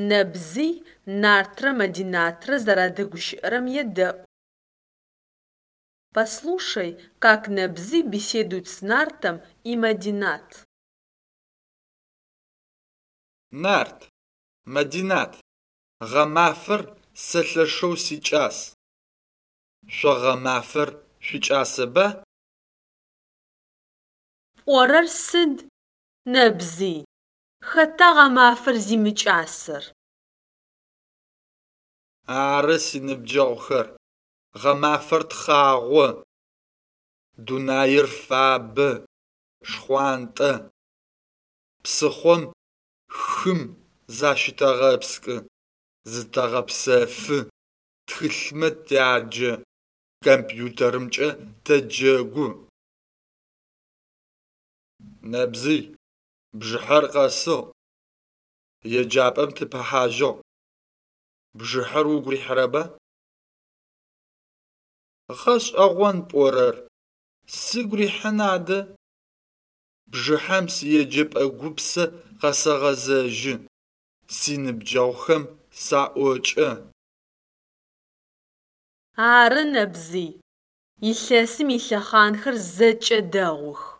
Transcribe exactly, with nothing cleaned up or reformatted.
Нэбзый Нартрэ Мадинатрэ зэрадэгущыӏэрэм едэӏу. Послушай, как Нэбзый беседует с Нартом и Мадинат. Нарт, Мадинат, гъэмафэр сэ лъэшэу сикӏас. Шъо гъэмафэр шъуикӏасэба? Пӏорэр сыд, Нэбзый, хэта гъэмафэр зимыкӏасэр? Ары, синыбджэгъухэр, гъэмафэр тхъагъо. Дунаир фабэ, шхъуантӏэ. Псыхъом, хым защытэгъэпскӏы, зытэгъэпсэфы, тхылъмэ тяджэ, компьютерымкӏэ тэджэгу. Нэбзый, бжыхьэр къэсыгъ, еджапӏэм тыпэхьажьыгъ. Бжыхьэр угу рихьырэба? Гъэшӏэгъон пӏорэр, сыгу рихьын адэ. Бжыхьэм сиеджэпӏэ гупсэ къэсэгъэзэжьы, синыбджэгъухэм саӏокӏэ. Ары, Нэбзый, илъэсым илъэхъанхэр зэкӏэ дэгъух.